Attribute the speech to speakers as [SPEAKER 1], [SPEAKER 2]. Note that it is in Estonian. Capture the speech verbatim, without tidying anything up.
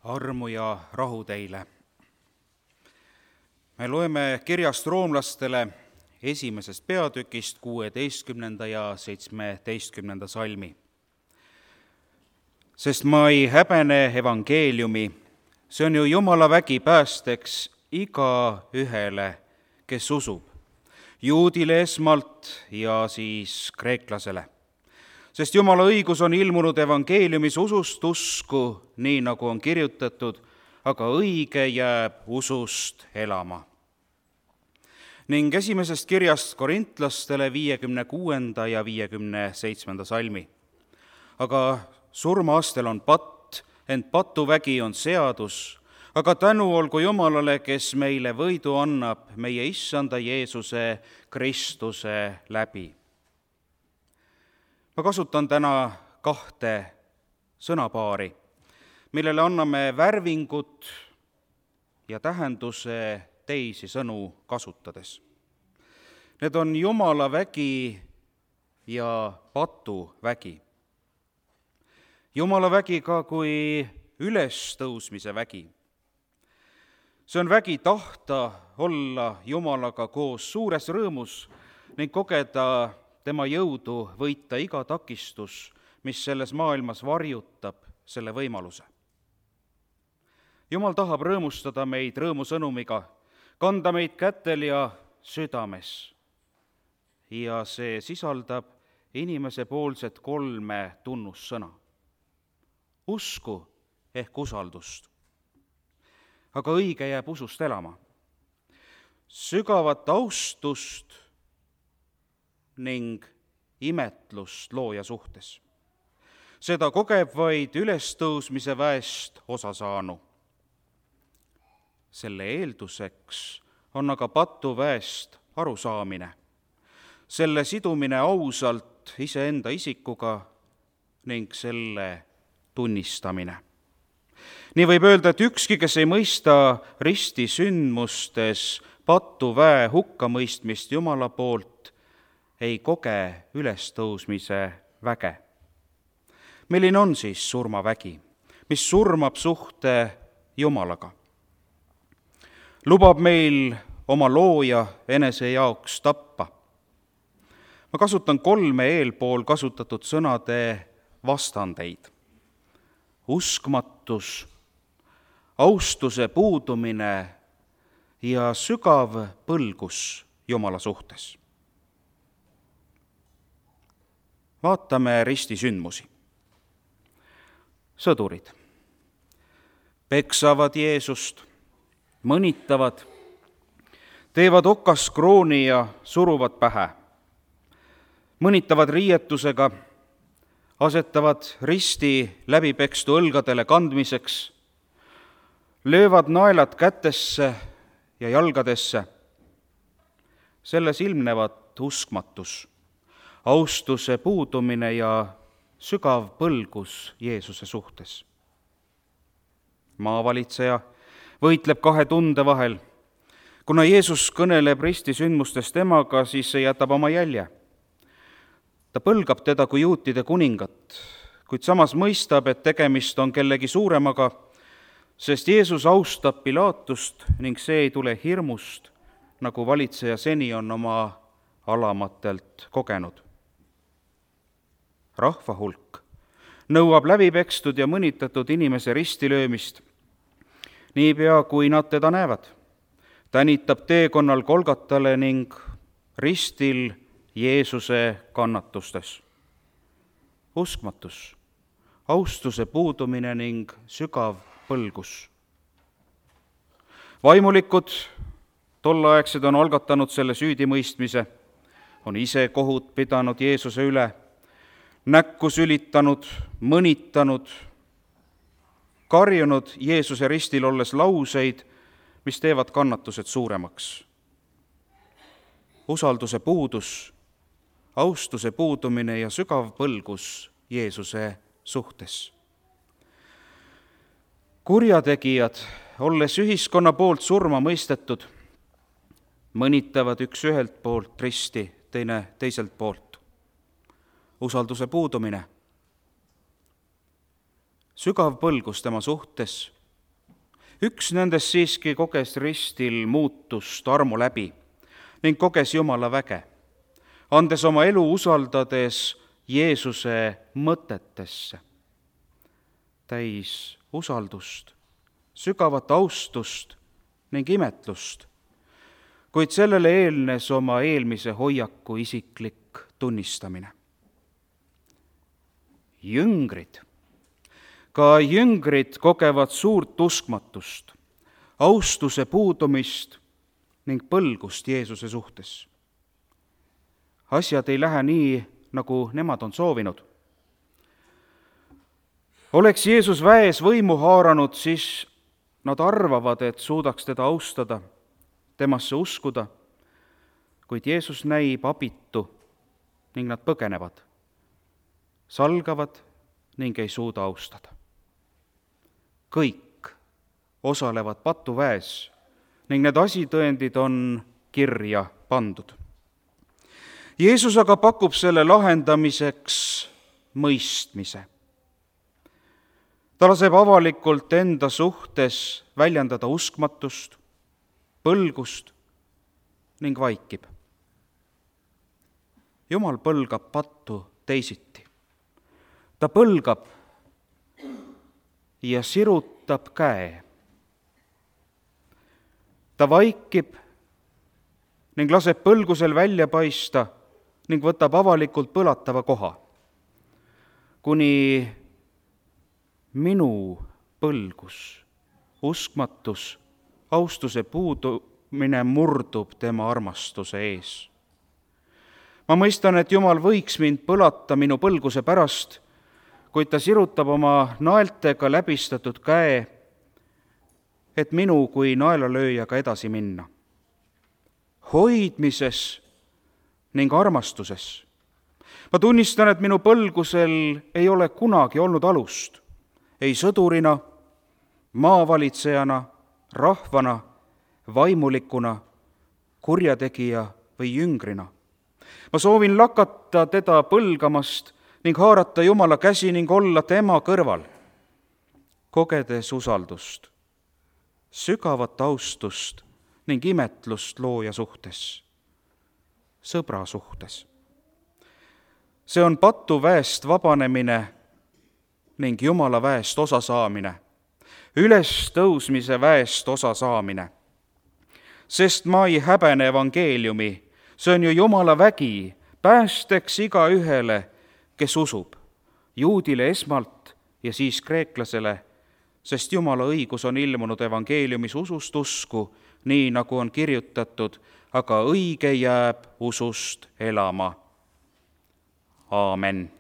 [SPEAKER 1] Armu ja rahu teile. Me loeme kirjast roomlastele esimesest peatükist kuueteistkümnenda ja seitsmeteistkümnenda salmi. Sest ma ei häbene evangeeliumi, see on ju Jumala vägi päästeks igaühele, kes usub, juudile esmalt ja siis kreeklasele. Sest Jumala õigus on ilmunud evangeeliumis usust usku, nii nagu on kirjutatud, aga õige jääb usust elama. Ning esimesest kirjast korintlastele viiekümne kuuenda ja viiekümne seitsmenda salmi. Aga surmaastel on patt, ent patuvägi on seadus, aga tänu olgu Jumalale, kes meile võidu annab meie issanda Jeesuse Kristuse läbi. Ma kasutan täna kahte sõnapaari, millele anname värvingut ja tähenduse teisi sõnu kasutades. Need on Jumala vägi ja patuvägi. Jumala vägi ka kui ülestõusmise vägi. See on vägi tahta olla Jumalaga koos suures rõõmus ning kogeda tema jõudu võita iga takistus, mis selles maailmas varjutab selle võimaluse. Jumal tahab rõõmustada meid rõõmusõnumiga, kanda meid kätel ja südames. Ja see sisaldab inimese poolset kolme tunnussõna. Usku ehk usaldust. Aga õige jääb usust elama. Sügavat austust ning imetlust looja suhtes. Seda kogeb vaid ülestõusmise väest osa saanu. Selle eelduseks on aga patuväest arusaamine, selle sidumine ausalt iseenda isikuga ning selle tunnistamine. Nii võib öelda, et ükski, kes ei mõista risti sündmustes patuväe hukkamõistmist Jumala poolt, ei koge ülestõusmise väge. Milline on siis surmavägi, mis surmab suhte Jumalaga? Lubab meil oma looja enese jaoks tappa. Ma kasutan kolme eelpool kasutatud sõnade vastandeid. Uskmatus, austuse puudumine ja sügav põlgus Jumala suhtes. Vaatame ristisündmusi. Sõdurid peksavad Jeesust, mõnitavad, teevad okaskrooni ja suruvad pähe, mõnitavad riietusega, asetavad risti läbipekstu õlgadele kandmiseks, löövad naelad kätesse ja jalgadesse. Selles ilmnevad uskmatus, austuse puudumine ja sügav põlgus Jeesuse suhtes. Maavalitseja võitleb kahe tunde vahel. Kuna Jeesus kõneleb ristisündmustest temaga, siis see jätab oma jälje. Ta põlgab teda kui juutide kuningat, kuid samas mõistab, et tegemist on kellegi suuremaga, sest Jeesus austab Pilaatust ning see ei tule hirmust, nagu valitseja seni on oma alamatelt kogenud. Rahva hulk nõuab läbipekstud ja mõnitatud inimese ristilöömist. Niipea kui nad teda näevad, tänitab teekonnal Golgatale ning ristil Jeesuse kannatustes. Uskmatus, austuse puudumine ning sügav põlgus. Vaimulikud, tolleaegsed on algatanud selle süüdimõistmise, on ise kohut pidanud Jeesuse üle, näkku sülitanud, mõnitanud, karjunud Jeesuse ristil olles lauseid, mis teevad kannatused suuremaks. Usalduse puudus, austuse puudumine ja sügav põlgus Jeesuse suhtes. Kurjategijad, olles ühiskonna poolt surma mõistetud, mõnitavad üks ühelt poolt risti, teine teiselt poolt. Usalduse puudumine, sügav põlgus tema suhtes üks nendest siiski koges ristil muutust armu läbi ning koges Jumala väge, andes oma elu usaldades Jeesuse mõtetesse. Täis usaldust, sügavat austust ning imetlust, kuid sellele eelnes oma eelmise hoiaku isiklik tunnistamine. Jüngrid, ka jüngrid kogevad suurt uskmatust, austuse puudumist ning põlgust Jeesuse suhtes. Asjad ei lähe nii, nagu nemad on soovinud. Oleks Jeesus väes võimu haaranud, siis nad arvavad, et suudaks teda austada, temasse uskuda, kuid Jeesus näib abitu ning nad põgenevad, salgavad ning ei suuda austada. Kõik osalevad patuväes ning need asitõendid on kirja pandud. Jeesus aga pakub selle lahendamiseks mõistmise. Ta laseb avalikult enda suhtes väljendada uskmatust, põlgust ning vaikib. Jumal põlgab pattu teisiti. Ta põlgab ja sirutab käe. Ta vaikib ning laseb põlgusel välja paista ning võtab avalikult põlatava koha, kuni minu põlgus, uskmatus, austuse puudumine murdub tema armastuse ees. Ma mõistan, et Jumal võiks mind põlata minu põlguse pärast, kuid ta sirutab oma naeltega läbistatud käe, et minu kui naelalööjaga edasi minna. Hoidmises ning armastuses. Ma tunnistan, et minu põlgusel ei ole kunagi olnud alust, ei sõdurina, maavalitsejana, rahvana, vaimulikuna, kurjategija või jüngrina. Ma soovin lakata teda põlgamast ning haarata Jumala käsi ning olla tema kõrval, kogedes usaldust, sügavat austust ning imetlust looja suhtes, sõbra suhtes. See on patuväest vabanemine ning Jumala väest osa saamine, ülestõusmise väest osa saamine. Sest ma ei häbene evangeeliumi, see on ju Jumala vägi, päästeks iga ühele, kes usub, juudile esmalt ja siis kreeklasele, sest Jumala õigus on ilmunud evangeeliumis usust usku, nii nagu on kirjutatud, aga õige jääb usust elama. Aamen.